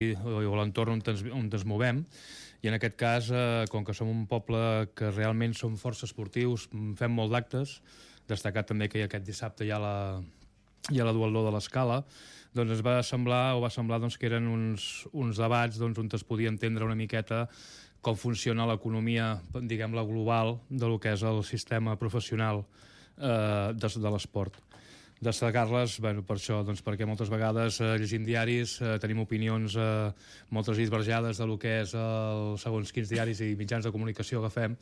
o l'entorn on ens movem, i en aquest cas, com que som un poble que realment som força esportius, fem molt d'actes, destacat també que aquest dissabte hi ha la duatló de l'Escala, doncs ens va semblar doncs, que eren uns debats doncs, on es podia entendre una miqueta com funciona l'economia, diguem-la, global de lo que és el sistema professional de l'esport. Destacar-les, bueno, per això, doncs, perquè moltes vegades llegim diaris, tenim opinions moltes divergades de lo que és segons quins diaris i mitjans de comunicació que fem,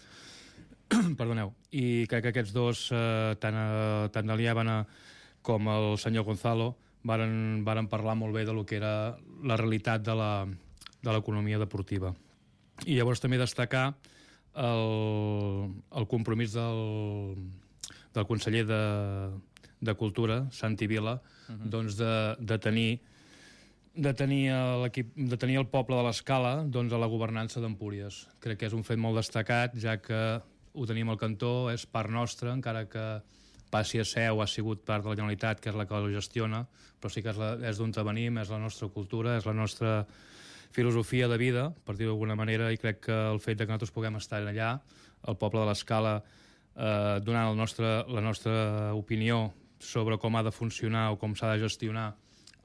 perdoneu, i crec que aquests dos, tant de l'Iàbana com el senyor Gonzalo, varen parlar molt bé de lo que era la realitat de l'economia deportiva. I llavors també destacar el compromís del conseller de Cultura, Santi Vila, doncs de tenir el poble de l'Escala doncs, a la governança d'Empúries. Crec que és un fet molt destacat, ja que ho tenim al cantó, és part nostra, encara que passi a ser o ha sigut part de la Generalitat, que és la que ho gestiona, però sí que és d'on venim, és la nostra cultura, és la nostra filosofia de vida, per dir-ho d'alguna manera, i crec que el fet que nosaltres puguem estar allà, el poble de l'Escala, donant la nostra opinió sobre com ha de funcionar o com s'ha de gestionar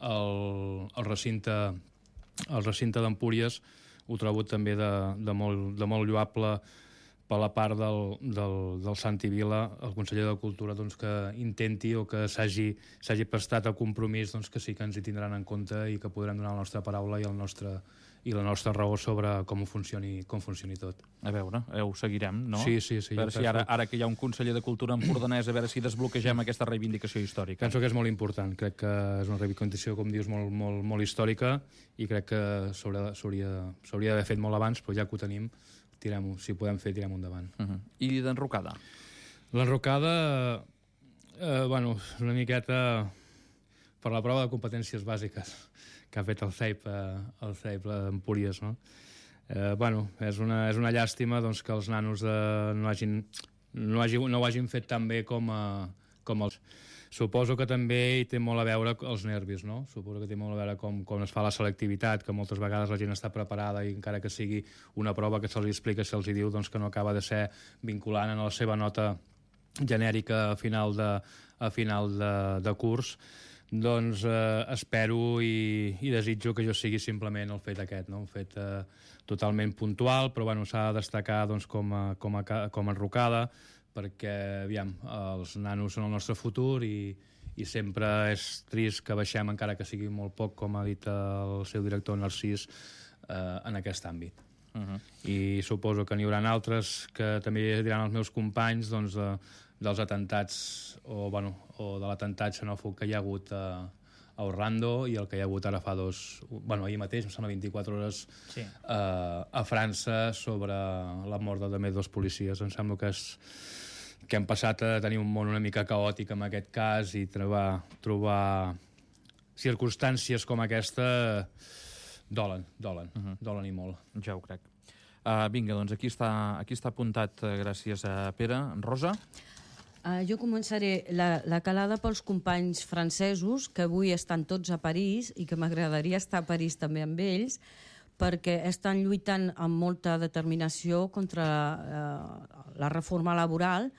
el recinte d'Empúries, ho trobo també de molt lloable per la part del Santi Vila, el conseller de Cultura, doncs, que intenti o que s'hagi prestat a compromís, doncs, que sí que ens hi tindran en compte i que podran donar la nostra paraula i la nostra raó sobre com funcioni tot. A veure, ho seguirem, no? Sí. A veure si ara que hi ha un conseller de Cultura empordanès, a veure si desbloquegem aquesta reivindicació històrica. Penso que és molt important, crec que és una reivindicació, com dius, molt històrica, i crec que s'hauria d'haver fet molt abans, però ja que ho tenim, si ho podem fer, tirem endavant. I d'enrocada? L'enrocada, bueno, una miqueta per la prova de competències bàsiques que ha fet el CEIP d'Empúries, no? Bueno, és una llàstima doncs, que els nanos no ho hagin fet tan bé com els... Suposo que també hi té molt a veure els nervis, no? Suposo que té molt a veure com es fa la selectivitat, que moltes vegades la gent està preparada i encara que sigui una prova que se'ls explica, se'ls diu doncs, que no acaba de ser vinculant en la seva nota genèrica a final de curs. Doncs espero i desitjo que jo sigui simplement el fet aquest, no? Un fet totalment puntual, però bueno, s'ha de destacar doncs, com a enrocada, perquè, aviam, els nanos són el nostre futur i sempre és trist que baixem, encara que sigui molt poc, com ha dit el seu director Narcís, en aquest àmbit. I suposo que n'hi haurà altres que també diran els meus companys doncs, dels atentats o de l'atemptat xenòfob que hi ha hagut a Orlando i el que hi ha hagut ara fa ahir mateix, em sembla 24 hores, a França, sobre la mort de també dos policies. Em sembla que hem passat a tenir un món una mica caòtic en aquest cas, i trobar circumstàncies com aquesta dolen i molt. Ja ho crec. Vinga, doncs aquí està apuntat, gràcies a Pere. Rosa? Jo començaré la calada pels companys francesos, que avui estan tots a París i que m'agradaria estar a París també amb ells, perquè estan lluitant amb molta determinació contra la reforma laboral,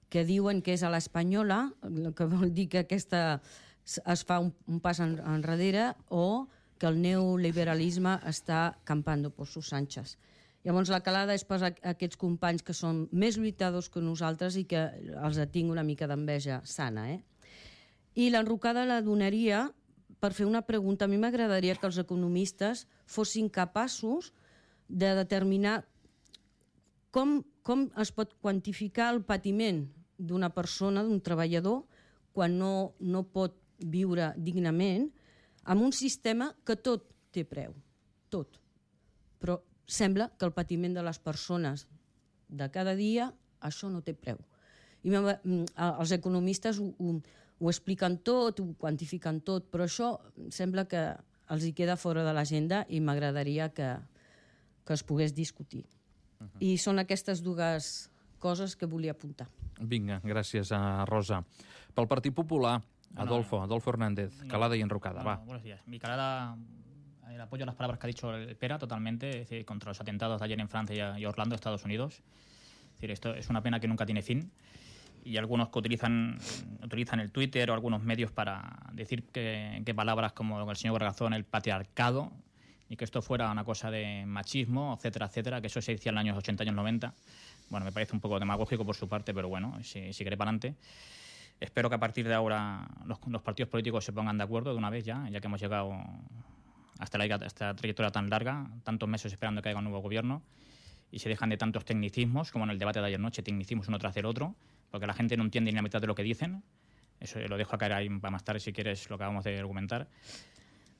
que diuen que és a l'espanyola, que vol dir que aquesta es fa un pas enrere, o que el neoliberalisme està campando por sus anchas. Llavors la calada és per aquests companys que són més lluitadors que nosaltres i que els tinc una mica d'enveja sana. I l'enrocada la donaria per fer una pregunta. A mi m'agradaria que els economistes fossin capaços de determinar com es pot quantificar el patiment d'una persona, d'un treballador, quan no pot viure dignament, amb un sistema que tot té preu, tot. Però sembla que el patiment de les persones de cada dia, això no té preu. I els economistes ho expliquen tot, ho quantifiquen tot, però això sembla que els hi queda fora de l'agenda i m'agradaria que es pogués discutir. I són aquestes dues coses que volia apuntar. Vinga, gràcies a Rosa. Pel Partit Popular, Adolfo Hernández, calada y enrocada, va. Buenos días. Mi calada apoyo a las palabras que ha dicho el Pera totalmente, es decir, contra los atentados de ayer en Francia y Orlando, Estados Unidos. Es decir, esto es una pena que nunca tiene fin. Y algunos que utilizan el Twitter o algunos medios para decir que palabras como el señor Bargazón, el patriarcado, y que esto fuera una cosa de machismo, etcétera, etcétera, que eso se decía en los años 80, años 90. Bueno, me parece un poco demagógico por su parte, pero bueno, si quiere para adelante. Espero que a partir de ahora los partidos políticos se pongan de acuerdo de una vez ya que hemos llegado hasta esta trayectoria tan larga, tantos meses esperando que haya un nuevo gobierno, y se dejan de tantos tecnicismos, como en el debate de ayer noche, tecnicismos uno tras del otro, porque la gente no entiende ni la mitad de lo que dicen. Eso lo dejo a caer ahí para más tarde, si quieres, lo que acabamos de argumentar.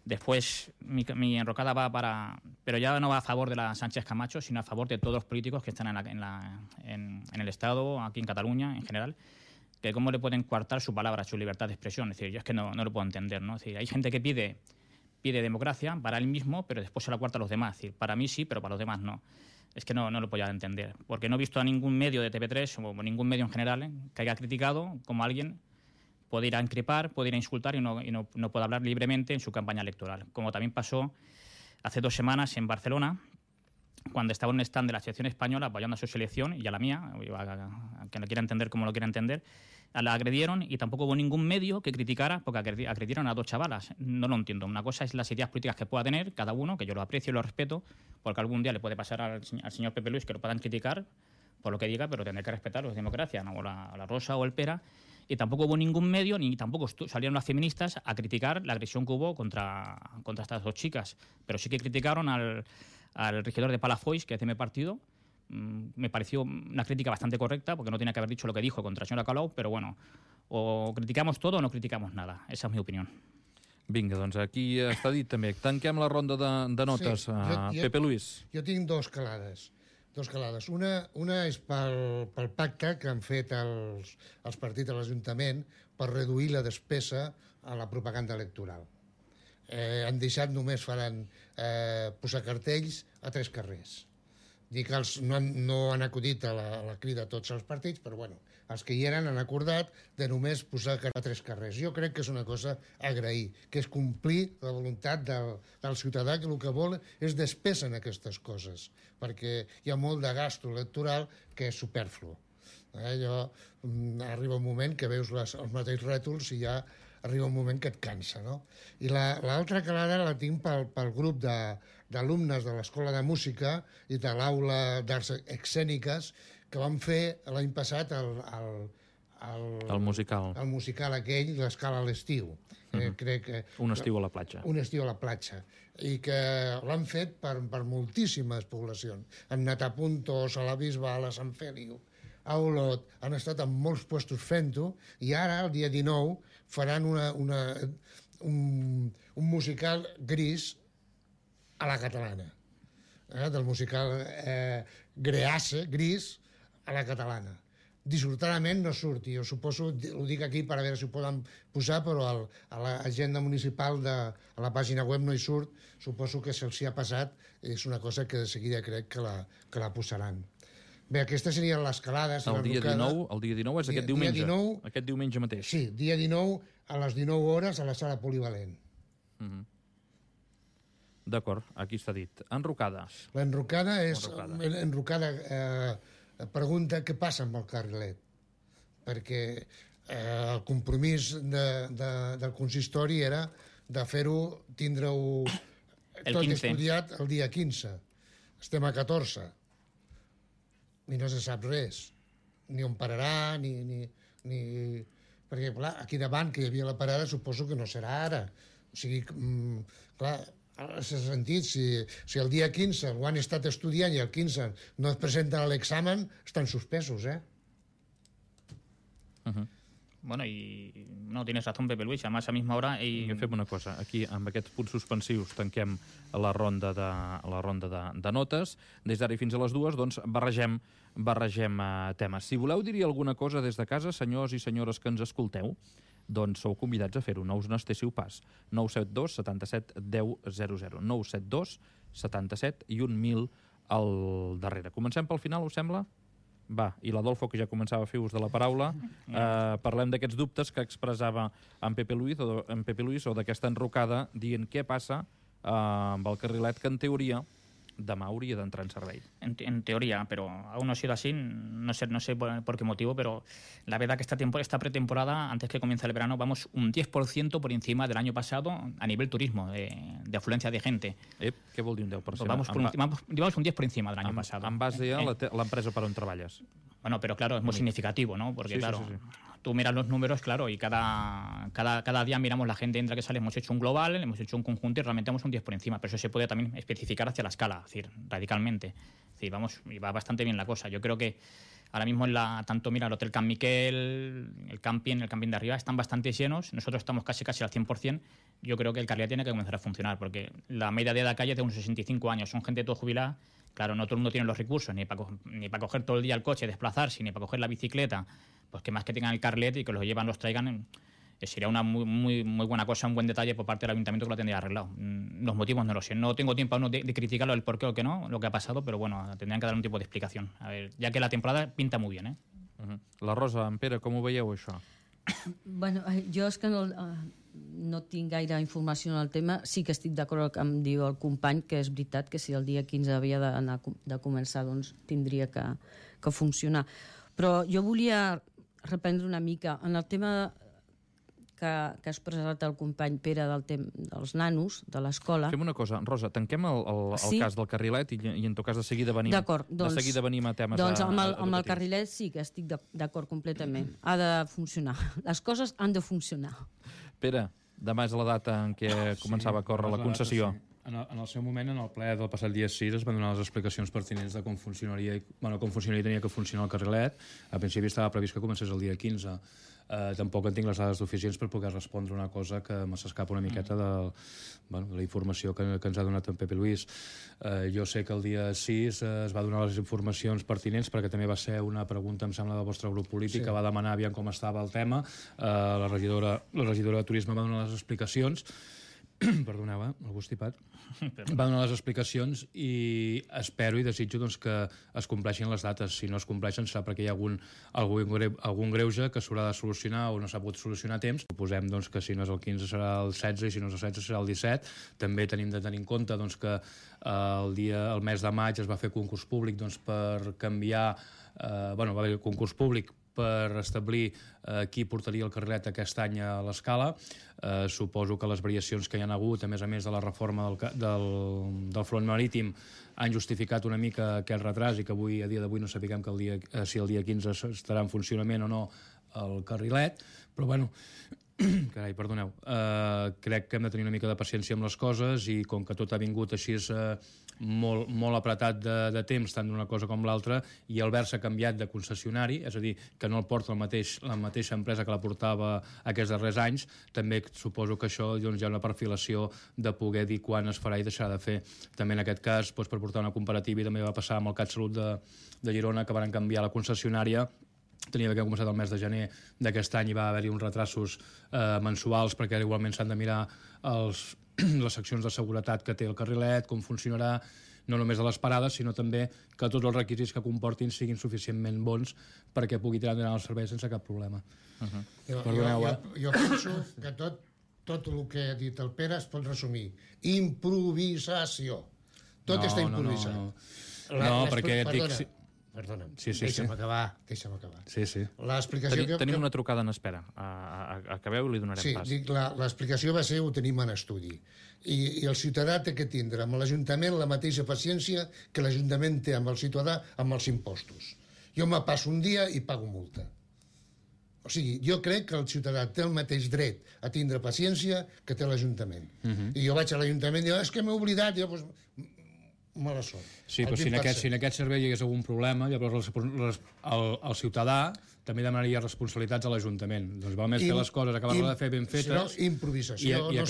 Después, mi enrocada va para... Pero ya no va a favor de la Sánchez Camacho, sino a favor de todos los políticos que están en el Estado, aquí en Cataluña, en general, que cómo le pueden coartar su palabra, su libertad de expresión. Es decir, yo es que no lo puedo entender, ¿no? Es decir, hay gente que pide democracia para él mismo, pero después se la cuarta a los demás. Es decir, para mí sí, pero para los demás no. Es que no lo puedo entender. Porque no he visto a ningún medio de TV3 o ningún medio en general que haya criticado como alguien puede ir a increpar, puede ir a insultar y no puede hablar libremente en su campaña electoral. Como también pasó hace 2 semanas en Barcelona, cuando estaba en un stand de la selección española apoyando a su selección y a la mía, a quien lo quiera entender como lo quiera entender, la agredieron y tampoco hubo ningún medio que criticara porque agredieron a 2 chavalas. No lo entiendo. Una cosa es las ideas políticas que pueda tener cada uno, que yo lo aprecio y lo respeto, porque algún día le puede pasar al señor Pepe Luis que lo puedan criticar por lo que diga, pero tendré que respetarlo, es democracia, ¿no? O la Rosa o el Pera. Y tampoco hubo ningún medio, ni tampoco salieron las feministas a criticar la agresión que hubo contra estas 2 chicas. Pero sí que criticaron al regidor de Palafolls, que es de mi partido. Me pareció una crítica bastante correcta, porque no tenía que haber dicho lo que dijo contra la senyora Colau, però bueno, o criticamos todo o no criticamos nada. Esa és mi opinió. Vinga, doncs aquí està dit també. Tanquem la ronda de notes. Sí, Pepe Luis. Jo tinc 2 calades. Una és pel pacte que han fet els partits a l'Ajuntament per reduir la despesa a la propaganda electoral. Han deixat, només faran posar cartells a 3 carrers. Dic que no han acudit a la crida a tots els partits, però bueno, els que hi eren han acordat de només posar a 3 carrers. Jo crec que és una cosa a agrair, que és complir la voluntat del ciutadà, que el que vol és despesa en aquestes coses, perquè hi ha molt de gasto electoral que és superflu. Arriba un moment que veus els mateixos rètols i ja arriba un moment que et cansa, no? I l'altra calada la tinc pel grup d'alumnes de l'Escola de Música i de l'Aula d'Arts Escèniques que van fer l'any passat el musical aquell, l'Escala a l'estiu. Crec que... Un estiu a la platja. Un estiu a la platja. I que l'han fet per moltíssimes poblacions. Han anat a Puntos, a la Bisbal, a Sant Fèliu, a Olot, han estat en molts puestos fent-ho, i ara, el dia 19, faran un musical gris a la catalana. Del musical gris a la catalana. Dissortadament no surt, i jo suposo, ho dic aquí per a veure si ho poden posar, però a l'agenda municipal a la pàgina web no hi surt, suposo que se'ls ha passat, és una cosa que de seguida crec que la posaran. Bé, aquestes serien les calades. El dia 19 és aquest diumenge. Aquest diumenge mateix. Sí, dia 19 a les 19 hores a la sala polivalent. D'acord, aquí està dit. Enrocada. L'enrocada és... L'enrocada pregunta què passa amb el carrilet. Perquè el compromís del consistori era de fer-ho, tindre-ho tot estudiat el dia 15. Estem a 14. I no se sap res. Ni on pararà, ni... Perquè, clar, aquí davant, que hi havia la parada, suposo que no serà ara. O sigui, clar, s'ha sentit, si el dia 15 ho han estat estudiant i el 15 no es presenten a l'examen, estan suspesos, Bueno, y no, tienes razón, Pepe Luis, además a misma hora... Fem una cosa, aquí amb aquests punts suspensius tanquem la ronda de notes. Des d'ara i fins a les 2, doncs barregem temes. Si voleu dir alguna cosa des de casa, senyors i senyores que ens escolteu, doncs sou convidats a fer-ho, no us n'estéssiu pas. 972 77 10 00. 972 77 i 1.000 al darrere. Comencem pel final, us sembla? Va, i l'Adolfo, que ja començava a fer ús de la paraula, parlem d'aquests dubtes que expressava en Pepe Luis o d'aquesta enrocada dient què passa amb el carrilet, que en teoria demà hauria d'entrar en servei. En teoría, pero aún no ha sido así. No sé por qué motivo, pero la verdad que esta pretemporada, antes que comience el verano, vamos un 10% por encima del año pasado a nivel turismo, de afluencia de gente. Què vol dir un 10%? Pues vamos un 10 por encima del año pasado. En base a l'empresa per on treballes. Bueno, pero claro, es muy significativo, ¿no? Porque claro, tú miras los números, claro, y cada día miramos la gente entra que sale, hemos hecho un global, hemos hecho un conjunto y realmente vamos un 10 por encima, pero eso se puede también especificar hacia la escala, es decir, radicalmente. Es decir, vamos, y va bastante bien la cosa. Yo creo que ahora mismo tanto mira el Hotel Can Miquel, el camping de arriba están bastante llenos, nosotros estamos casi al 100%. Yo creo que el carrilet tiene que comenzar a funcionar, porque la media de edad de calle es de unos 65 años, son gente todo jubilada. Claro, no todo el mundo tiene los recursos, ni para coger todo el día el coche, desplazarse, ni para coger la bicicleta. Pues que más que tengan el carlet y que los llevan, los traigan, sería una muy buena cosa, un buen detalle por parte del ayuntamiento que lo tendría arreglado. Los motivos no lo sé. No tengo tiempo aún de criticarlo, el por qué o qué no, lo que ha pasado, pero bueno, tendrían que dar un tipo de explicación. A ver, ya que la temporada pinta muy bien, ¿eh? La Rosa, en Pere, com ho veieu, això? Bueno, jo és que no tinc gaire informació en el tema. Sí que estic d'acord amb el que em diu el company, que és veritat que si el dia 15 havia de començar, doncs tindria que funcionar. Però jo volia reprendre una mica en el tema que ha expressat el company Pere dels nanos, de l'escola. Fem una cosa, Rosa, tanquem el cas del carrilet i en tot cas de seguida venim a temes doncs amb el carrilet sí que estic d'acord completament. Ha de funcionar. Les coses han de funcionar. Pere, demà és la data en què començava a córrer la concessió. En el seu moment, en el ple del passat dia 6, es van donar les explicacions pertinents de com funcionaria i tenia que funcionar el carrilet. A principi estava previst que comencés el dia 15. Tampoc en tinc les dades suficients per poder respondre una cosa que me s'escapa una miqueta de la informació que ens ha donat en Pepe Luis. Jo sé que el dia 6 es va donar les informacions pertinents perquè també va ser una pregunta, em sembla, del vostre grup polític, que va demanar aviam com estava el tema. La regidora de Turisme va donar les explicacions. Perdoneu, algú estipat. Va donar les explicacions i espero i desitjo que es compleixin les dates. Si no es compleixen serà perquè hi ha algun greuge que s'haurà de solucionar o no s'ha pogut solucionar a temps. Proposem que si no és el 15 serà el 16 i si no és el 16 serà el 17. També tenim de tenir en compte que el mes de maig es va fer concurs públic per canviar... va haver concurs públic per establir qui portaria el carrilet aquest any a l'escala. Suposo que les variacions que hi ha hagut, a més de la reforma del front marítim, han justificat una mica aquest retras i que a dia d'avui no sapiguem si el dia 15 estarà en funcionament o no el carrilet, però bueno, carai, perdoneu, crec que hem de tenir una mica de paciència amb les coses i com que tot ha vingut així molt apretat de temps, tant d'una cosa com l'altra, i el Versa ha canviat de concessionari, és a dir, que no el porta la mateixa empresa que la portava aquests darrers anys, també suposo que això hi ha una perfilació de poder dir quan es farà i deixarà de fer. També en aquest cas, per portar una comparativa, i també va passar amb el CatSalut de Girona, que van canviar la concessionària. Tenia d'haver començat el mes de gener d'aquest any i va haver-hi uns retrasos mensuals perquè igualment s'han de mirar les seccions de seguretat que té el carrilet, com funcionarà, no només a les parades, sinó també que tots els requisits que comportin siguin suficientment bons perquè pugui tirar endavant el servei sense cap problema. Jo penso que tot el que ha dit el Pere es pot resumir. Improvisació. Tot està improvisat. No, perquè... Perdona'm, deixa'm acabar. Sí. Tenim una trucada en espera. Acabeu i li donarem pas. Sí, l'explicació va ser ho tenim en estudi. I el ciutadà té que tindre amb l'Ajuntament la mateixa paciència que l'Ajuntament té amb el ciutadà amb els impostos. Jo me passo un dia i pago multa. O sigui, jo crec que el ciutadà té el mateix dret a tindre paciència que té l'Ajuntament. I jo vaig a l'Ajuntament i dic, és que m'he oblidat, i jo, mala sort. Sí, però si en aquest servei hi hagués algun problema, llavors el ciutadà també demanaria responsabilitats a l'Ajuntament. Doncs val més fer les coses, acabar-les de fer ben fetes... Si no, improvisació. No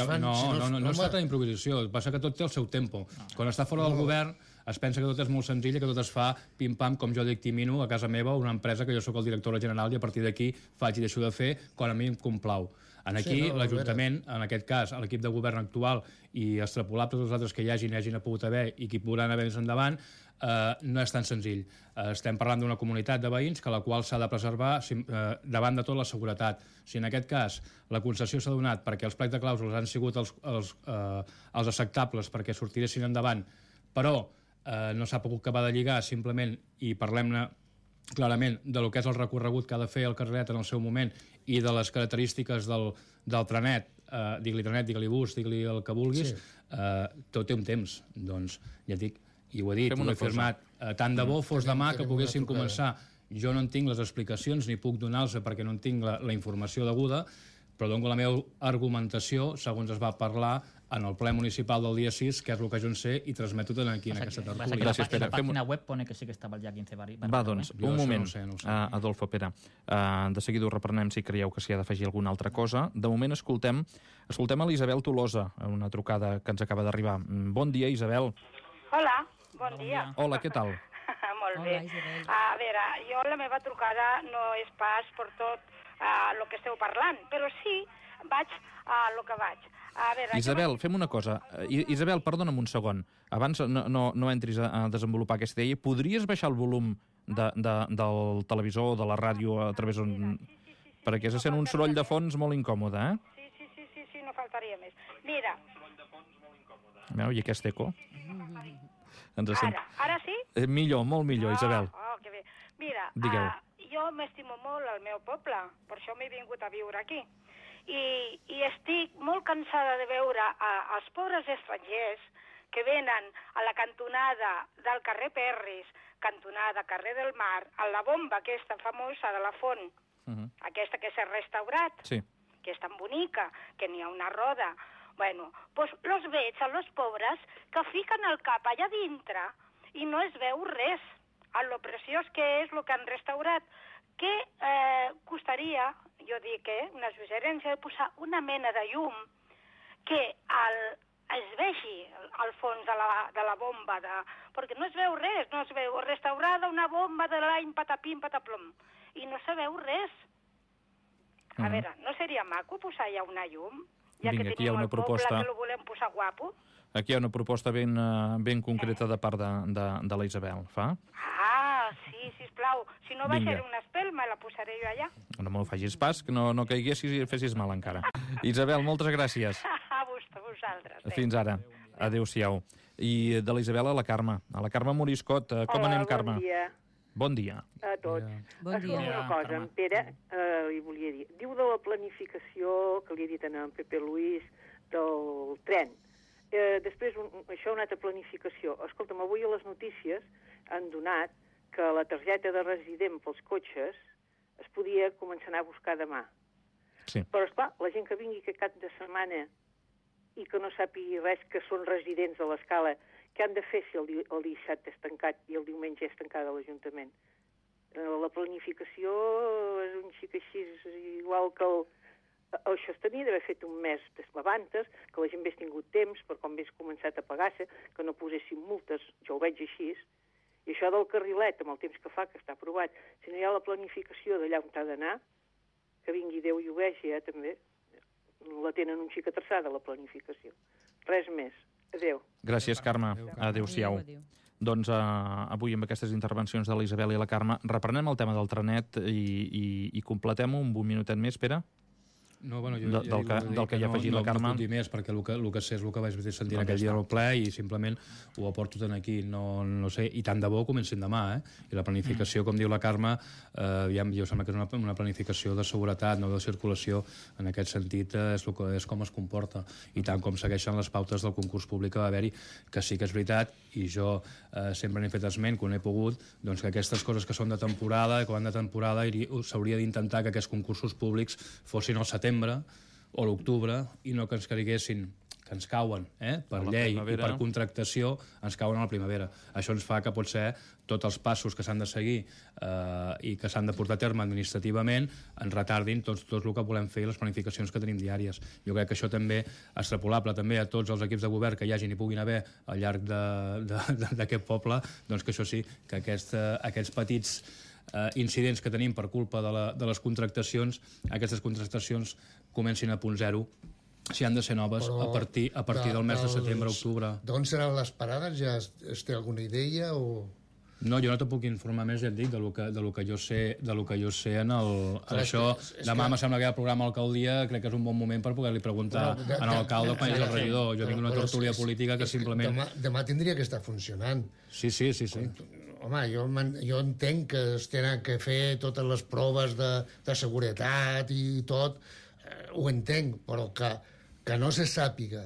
es tracta d'improvisació, passa que tot té el seu tempo. Quan està fora del govern es pensa que tot és molt senzill, que tot es fa pim-pam, com jo dictamino a casa meva, una empresa que jo sóc el director general i a partir d'aquí faig i deixo de fer quan a mi em complau. Aquí, l'Ajuntament, en aquest cas, l'equip de govern actual i extrapolable tots els altres que hi hagin pogut haver i que hi podran haver més endavant, no és tan senzill. Estem parlant d'una comunitat de veïns que la qual s'ha de preservar davant de tot la seguretat. Si en aquest cas la concessió s'ha donat perquè els plecs de clàusules han sigut els acceptables perquè sortiressin endavant, però no s'ha pogut acabar de lligar simplement, i parlem-ne clarament de lo que és el recorregut que ha de fer el carrilet en el seu moment i de les característiques del trenet, digue-li trenet, digue-li bus, digue-li el que vulguis, tot té un temps. Doncs ja et dic, i ho he dit, ho he firmat, tant de bo fos demà que poguéssim començar. Jo no en tinc les explicacions ni puc donar-los perquè no en tinc la informació deguda, però dono la meva argumentació segons es va parlar en el ple municipal del dia 6, que és el que jo en sé, i transmeto tot aquí en aquesta tertúlia. Gràcies, Pere. La pàgina web pone que sí que estava el dia 15 vari. Va, doncs, un moment, Adolfo, Pere. De seguida ho reprenem si creieu que s'hi ha d'afegir alguna altra cosa. De moment escoltem a l'Isabel Tolosa, una trucada que ens acaba d'arribar. Bon dia, Isabel. Hola, bon dia. Hola, què tal? Molt bé. A veure, jo la meva trucada no és pas per tot el que esteu parlant, però sí vaig a lo que vaig. Isabel, fem una cosa. Isabel, perdona'm un segon. Abans no entris a desenvolupar aquesta idea. Podries baixar el volum del televisor o de la ràdio a través d'un... Perquè se sent un soroll de fons molt incòmode, eh? Sí, no faltaria més. Mira. I aquest eco? Ara sí? Millor, molt millor, Isabel. Que bé. Mira, jo m'estimo molt el meu poble, per això m'he vingut a viure aquí. I estic molt cansada de veure els pobres estrangers que venen a la cantonada del carrer Perris, cantonada carrer del Mar, a la bomba aquesta famosa de la font, aquesta que s'ha restaurat, que és tan bonica, que n'hi ha una roda. Bueno, doncs los veig a los pobres que fiquen el cap allà dintre i no es veu res, a lo preciós que és el que han restaurat. Què costaria, jo dic, una suggerència de posar una mena de llum que es vegi al fons de la bomba, perquè no es veu res, no es veu restaurada una bomba de l'any patapim, pataplom, i no se veu res. A veure, no seria maco posar ja una llum? Ja que tenim el poble que lo volem posar guapo? Aquí hi ha una proposta ben concreta de part de la Isabel, fa? Sí, sisplau. Si no baixaré una espelma, la posaré jo allà. No me facis pas, que no caiguessis i fessis mal encara. Isabel, moltes gràcies. A vosaltres. Fins ara. Adéu-siau. I de la Isabel a la Carme. A la Carme Moriscot. Com anem, Carme? Bon dia. Bon dia. A tots. Bon dia. Una cosa, en Pere li volia dir. Diu de la planificació, que li he dit en Pepe Luis, del tren. Després, això una altra planificació. Escolta'm, avui a les notícies han donat que la targeta de resident pels cotxes es podia començar a anar a buscar demà. Sí. Però, esclar, la gent que vingui aquest cap de setmana i que no sàpigui res que són residents de l'Escala, què han de fer si el dissabte és tancat i el diumenge és tancada l'Ajuntament? La planificació és un xic així, igual que això es tenia d'haver fet un mes abans, que la gent hagués tingut temps per quan hagués començat a pagar-se, que no posessin multes, jo ho veig així. I això del carrilet, amb el temps que fa, que està aprovat, si no hi ha la planificació d'allà on ha d'anar, que vingui Déu i ho vegi, també, la tenen un xic atrasada, la planificació. Res més. Adéu. Gràcies, Carme. Adéu-siau. Doncs avui, amb aquestes intervencions de la Isabel i la Carme, reprenem el tema del trenet i completem-ho un minutet més, Pere? No, bueno, del que hi ha afegit la Carme. No puc dir més, perquè el que sé és el que vaig sentir aquell dia al ple i simplement ho aporto tant aquí. No sé, i tant de bo comencin demà, I la planificació, com diu la Carme, jo sembla que és una planificació de seguretat, no de circulació. En aquest sentit, és com es comporta. I tant com segueixen les pautes del concurs públic que va haver-hi, que sí que és veritat, i jo sempre n'he fet esment, quan he pogut, doncs que aquestes coses que són de temporada, que van de temporada, s'hauria d'intentar que aquests concursos públics fossin al setembre o l'octubre i no que ens caiguessin, que ens cauen per llei i per contractació, ens cauen a la primavera. Això ens fa que potser tots els passos que s'han de seguir i que s'han de portar a terme administrativament ens retardin tot el que volem fer i les planificacions que tenim diàries. Jo crec que això també extrapolable també a tots els equips de govern que hi hagin i puguin haver al llarg d'aquest poble, doncs que això sí, que aquests petits incidents que tenim per culpa de les contractacions, aquestes contractacions comencin a punt zero, si han de ser noves, a partir del mes de setembre-octubre. D'on seran les parades? Ja es té alguna idea o...? No, jo no te puc informar més, ja et dic, de lo que jo sé en això. Demà me sembla que hi ha programa a l'alcaldia, crec que és un bon moment per poder-li preguntar a l'alcalde quan és el regidor. Jo vinc d'una tertúlia política que simplement... Demà tindria que estar funcionant. Sí. Home, jo entenc que es tenen que fer totes les proves de seguretat i tot, ho entenc, però que no se sàpiga.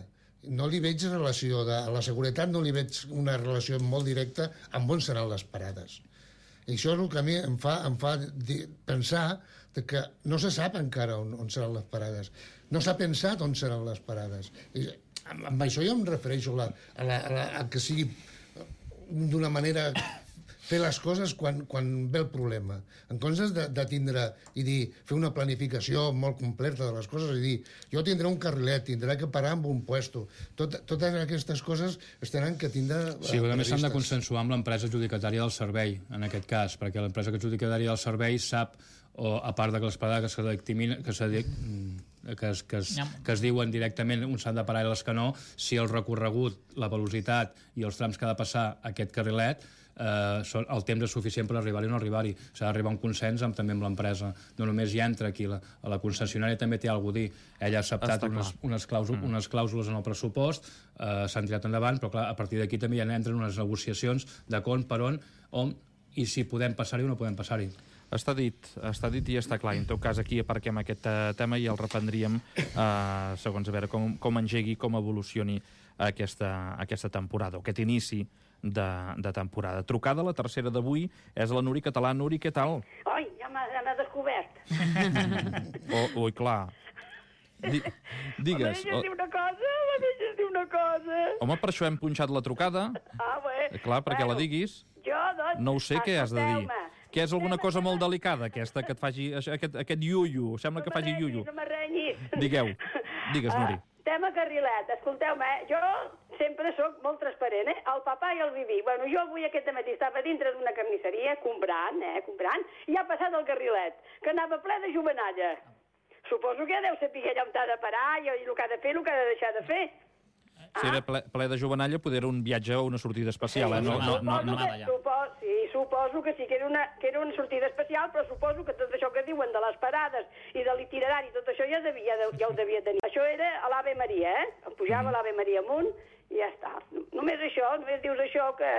No li veig relació, a la seguretat no li veig una relació molt directa amb on seran les parades. I això és el que a mi em fa pensar que no se sap encara on seran les parades. No s'ha pensat on seran les parades. I amb això jo em refereixo a que sigui d'una manera... fer les coses quan ve el problema. En comptes de tindre i dir, fer una planificació molt completa de les coses i dir, jo tindré un carrilet, tindré que parar en un puesto. Totes aquestes coses es tenen que tindre sí, però a més s'han de consensuar amb l'empresa adjudicatària del servei, en aquest cas, perquè l'empresa adjudicatària del servei sap, o a part de que les parades que es diuen directament, uns s'han de parar i les que no, si el recorregut, la velocitat i els trams que ha de passar aquest carrilet el temps és suficient per arribar-hi o no arribar-hi. S'ha d'arribar a un consens també amb l'empresa. No només hi entra aquí, la concessionària també té alguna cosa a dir. Ella ha acceptat unes clàusules en el pressupost, s'han tirat endavant, però clar, a partir d'aquí també ja entren unes negociacions de com, per on i si podem passar-hi o no podem passar-hi. Està dit i està clar. En tot cas, aquí aparquem aquest tema i el reprendríem segons a veure com engegui, com evolucioni aquesta temporada, o aquest inici de temporada. Trucada, la tercera d'avui, és la Nuri Català. Nuri, què tal? Oi, ja m'ha descobert. Ui, clar. Digues. La deixes dir una cosa. Home, per això hem punxat la trucada. Bé. Clar, perquè la diguis. Jo, doncs... No ho sé què has de dir. Que és alguna cosa molt delicada, aquesta, que et faci aquest iuiu. Sembla que faci iuiu. No m'arrenyis. Digues, Nuri. Tema carrilet. Escolteu-me, jo sempre sóc molt transparent, el papà i el Viví. Bueno, jo avui aquest matí estava dintre d'una carnisseria comprant, i ha passat el carrilet, que anava ple de jovenalla. Suposo que deu saber allà on ha de parar i el que ha de fer, el que ha de deixar de fer. Si era ple de jovenalla, poder era un viatge o una sortida especial, Suposo que sí, que era una sortida especial, però suposo que tot això que diuen de les parades i de l'itinerari, tot això ja ho devia tenir. Això era a l'Ave Maria, Em pujava l'Ave Maria amunt i ja està. Només això, només dius això que...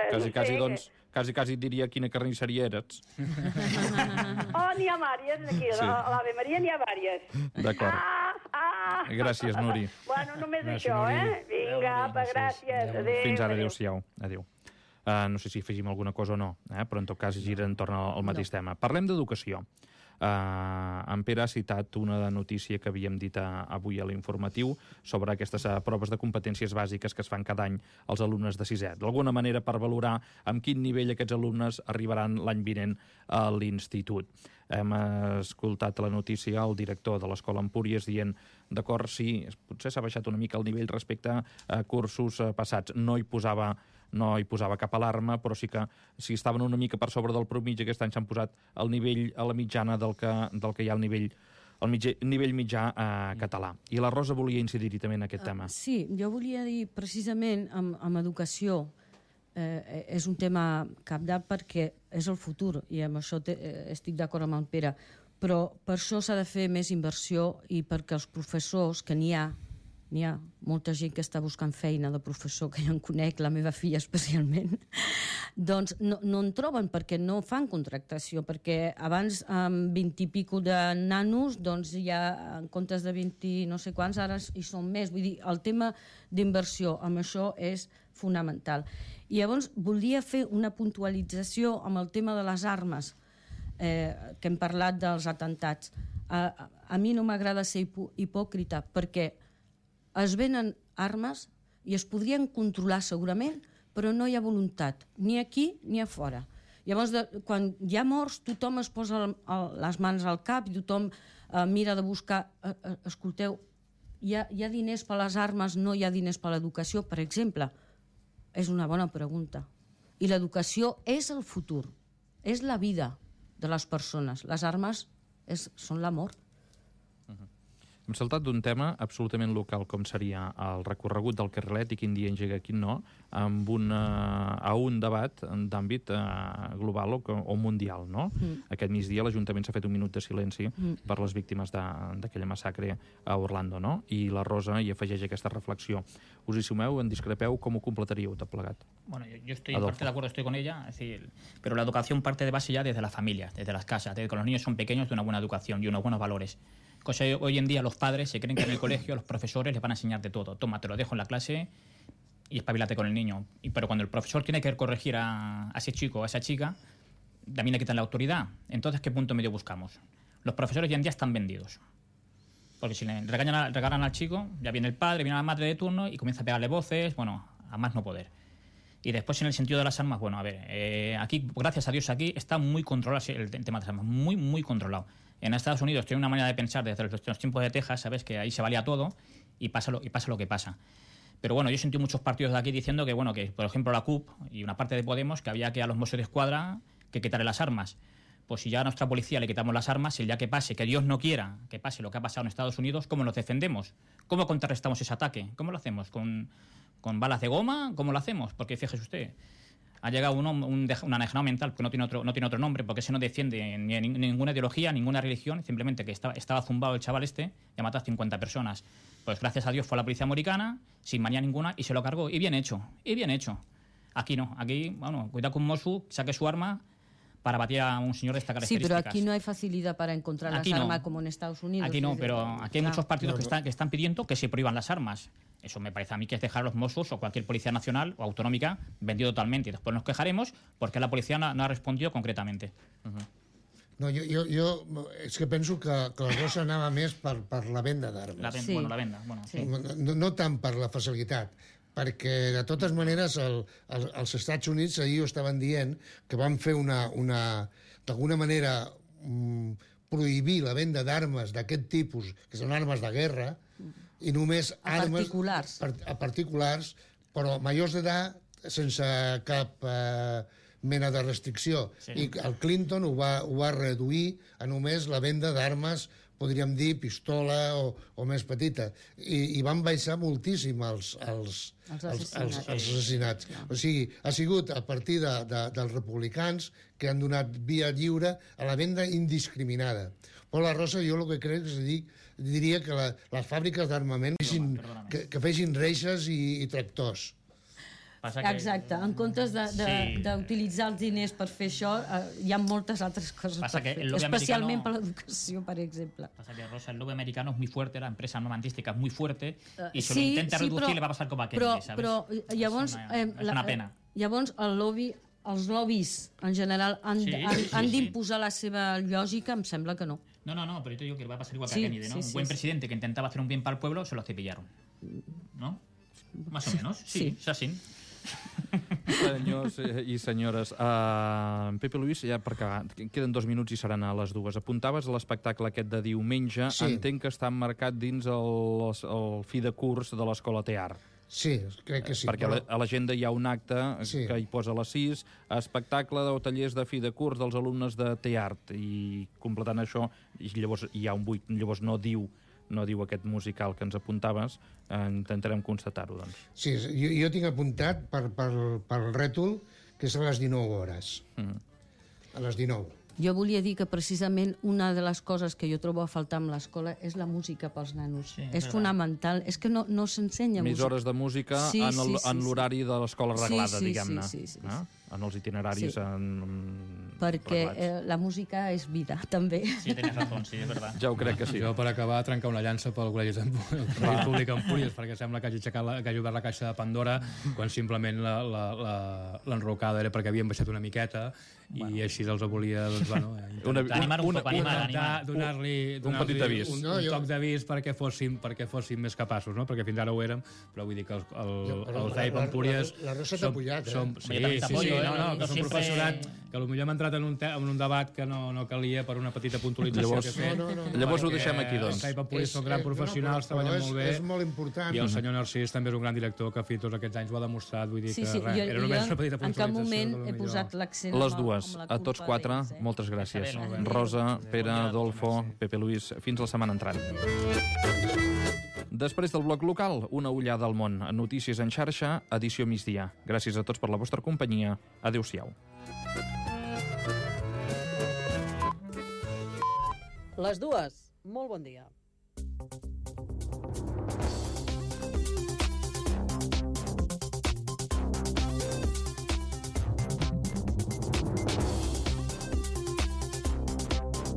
Quasi et diria quina carnisseria eres. N'hi ha vàries, aquí, a l'Ave Maria n'hi ha vàries. D'acord. Gràcies, Nuri. Bueno, només això, Vinga, apa, gràcies. Adéu. Fins ara, adéu-siau. Adéu. No sé si afegim alguna cosa o no, però en tot cas gira entorn al mateix tema. Parlem d'educació. En Pere ha citat una notícia que havíem dit avui a l'informatiu sobre aquestes proves de competències bàsiques que es fan cada any als alumnes de sisè. D'alguna manera per valorar amb quin nivell aquests alumnes arribaran l'any vinent a l'institut. Hem escoltat la notícia al director de l'Escola Empúries dient, d'acord, sí, potser s'ha baixat una mica el nivell respecte a cursos passats. No hi posava cap alarma, però sí que si estaven una mica per sobre del promigi, aquest any s'han posat al nivell, a la mitjana del que hi ha al nivell mitjà català. I la Rosa volia incidir-hi també en aquest tema. Sí, jo volia dir precisament amb educació, és un tema cabdal perquè és el futur, i amb això estic d'acord amb el Pere, però per això s'ha de fer més inversió i perquè els professors, que n'hi ha molta gent que està buscant feina de professor, que ja en conec, la meva filla especialment, doncs no en troben perquè no fan contractació, perquè abans amb 20 i pico de nanos, doncs ja en comptes de 20 no sé quants, ara hi són més. Vull dir, el tema d'inversió amb això és fonamental. I llavors volia fer una puntualització amb el tema de les armes, que hem parlat dels atemptats. A mi no m'agrada ser hipòcrita, perquè es venen armes i es podrien controlar segurament, però no hi ha voluntat, ni aquí ni a fora. Llavors, quan hi ha morts, tothom es posa les mans al cap i tothom mira de buscar... Escolteu, hi ha diners per les armes, no hi ha diners per l'educació, per exemple? És una bona pregunta. I l'educació és el futur, és la vida de les persones. Les armes són la mort. Hem saltat d'un tema absolutament local, com seria el recorregut del carrilet i quin dia engega, quin no, a un debat d'àmbit global o mundial, no? Aquest migdia l'Ajuntament s'ha fet un minut de silenci per les víctimes d'aquella massacre a Orlando, no? I la Rosa hi afegeix aquesta reflexió. Us hi sumeu, en discrepeu, com ho completaríeu tot plegat? Bueno, yo estoy en parte de acuerdo, estoy con ella, es decir, pero la educación parte de base ya desde las familias, desde las casas, desde que los niños son pequeños, de una buena educación y unos buenos valores. Cosa que hoy en día los padres se creen que en el colegio los profesores les van a enseñar de todo. Toma, te lo dejo en la clase y espabilate con el niño. Pero cuando el profesor tiene que corregir a ese chico o a esa chica, también le quitan la autoridad. Entonces, ¿qué punto medio buscamos? Los profesores hoy en día están vendidos. Porque si le regalan al chico, ya viene el padre, viene la madre de turno y comienza a pegarle voces, bueno, a más no poder. Y después, en el sentido de las armas, bueno, a ver, aquí, gracias a Dios, aquí está muy controlado el tema de las armas, muy, muy controlado. En Estados Unidos tiene una manera de pensar desde los tiempos de Texas, ¿sabes? Que ahí se valía todo y pasa lo que pasa. Pero bueno, yo sentí muchos partidos de aquí diciendo que, bueno, que por ejemplo la CUP y una parte de Podemos, que había que a los Mossos de Escuadra que quitarle las armas. Pues si ya a nuestra policía le quitamos las armas, el día que pase, que Dios no quiera que pase lo que ha pasado en Estados Unidos, ¿cómo nos defendemos? ¿Cómo contrarrestamos ese ataque? ¿Cómo lo hacemos? ¿Con balas de goma? ¿Cómo lo hacemos? Porque fíjese usted, ha llegado un anejanado mental que no tiene otro nombre, porque ese no defiende ni ninguna ideología, ninguna religión, simplemente que estaba zumbado el chaval y ha matado a 50 personas. Pues gracias a Dios fue a la policía americana, sin manía ninguna, y se lo cargó. Y bien hecho. Aquí no. Aquí, bueno, cuidado con Mossu, saque su arma para batir a un señor de esta características. Sí, pero aquí no hay facilidad para encontrar las armas como en Estados Unidos. Aquí no, pero aquí hay muchos partidos que están pidiendo que se prohíban las armas. Eso me parece a mí que es dejar a los Mossos o cualquier policía nacional o autonómica vendido totalmente. Y después nos quejaremos porque la policía no ha respondido concretamente. No, jo és que penso que la cosa anava més per la venda d'armes. La venda. Bueno, sí. No tant per la facilitat, perquè de totes maneres els Estats Units ahir ho estaven dient que van fer d'alguna manera prohibir la venda d'armes d'aquest tipus, que són armes de guerra, i només armes a particulars, però majors d'edat sense cap mena de restricció. Sí. I el Clinton ho va reduir a només la venda d'armes, podríem dir, pistola o més petita. I van baixar moltíssim els assassinats. O sigui, ha sigut a partir dels republicans que han donat via lliure a la venda indiscriminada. Però la Rosa, jo el que crec és diria que les fàbriques d'armament que fessin reixes i tractors. Exacte, en comptes d'utilitzar els diners per fer això, hi ha moltes altres coses per fer, especialment per l'educació, per exemple. Pasa que, Rosa, el lobby americano es muy fuerte, la empresa armamentística es muy fuerte, y si lo intenta reducir le va a pasar com a Kennedy, ¿sabes? Però llavors, és una pena. Llavors els lobbies en general han d'imposar la seva lògica, em sembla que no. No, pero yo te digo que le va a pasar igual que a Kennedy, ¿no? Un buen presidente que intentaba hacer un bien para el pueblo, se lo cepillaron, ¿no? Más o menos, sí, és així. Senyors i senyores, Pepe Luis, ja per acabar, queden 2 minuts i seran a les 2. Apuntaves a l'espectacle aquest de diumenge, entenc que està emmarcat dins el fi de curs de l'Escola Tear. Sí, crec que sí. Perquè a l'agenda hi ha un acte que hi posa a les 6, espectacle o tallers de fi de curs dels alumnes de Teart, i completant això, llavors hi ha un buit, llavors no diu aquest musical que ens apuntaves, intentarem constatar-ho, doncs. Sí, jo tinc apuntat pel rètol que és a les 19 hores. A les 19. Jo volia dir que precisament una de les coses que jo trobo a faltar amb l'escola és la música pels nanos. És fonamental. És que no s'ensenya música. Més hores de música en l'horari de l'escola reglada, diguem-ne. En els itineraris. Perquè la música és vida, també. Sí, tens raó, sí, és veritat. Ja ho crec que sí. Jo, per acabar, trencar una llança pel Col·legi Públic Empúries, perquè sembla que hagi obert la caixa de Pandora quan simplement l'enrocada era perquè havien baixat una miqueta i així els volia animar un poc, donar-li un petit avís, un toc d'avís perquè fóssim més capaços, no? Perquè fins ara ho érem, però vull dir que el CEIP Empúries la Rosa t'ha pujat, sí, que és un professorat que potser hem entrat en un debat que no calia per una petita puntualització que he fet. Llavors ho deixem aquí, doncs. Els Papulis són grans professionals, treballen molt bé. És molt important. I el senyor Narcís també és un gran director que, tots aquests anys ho ha demostrat. Vull dir que era només una petita puntualització. En cap moment he posat l'accent les dues, a tots quatre, moltes gràcies. Rosa, Pere, Adolfo, Pepe Luis, fins la setmana entrant. Després del bloc local, una ullada al món. Notícies en xarxa, edició migdia. Gràcies a tots per la vostra companyia. Adéu-siau. Les dues. Molt bon dia.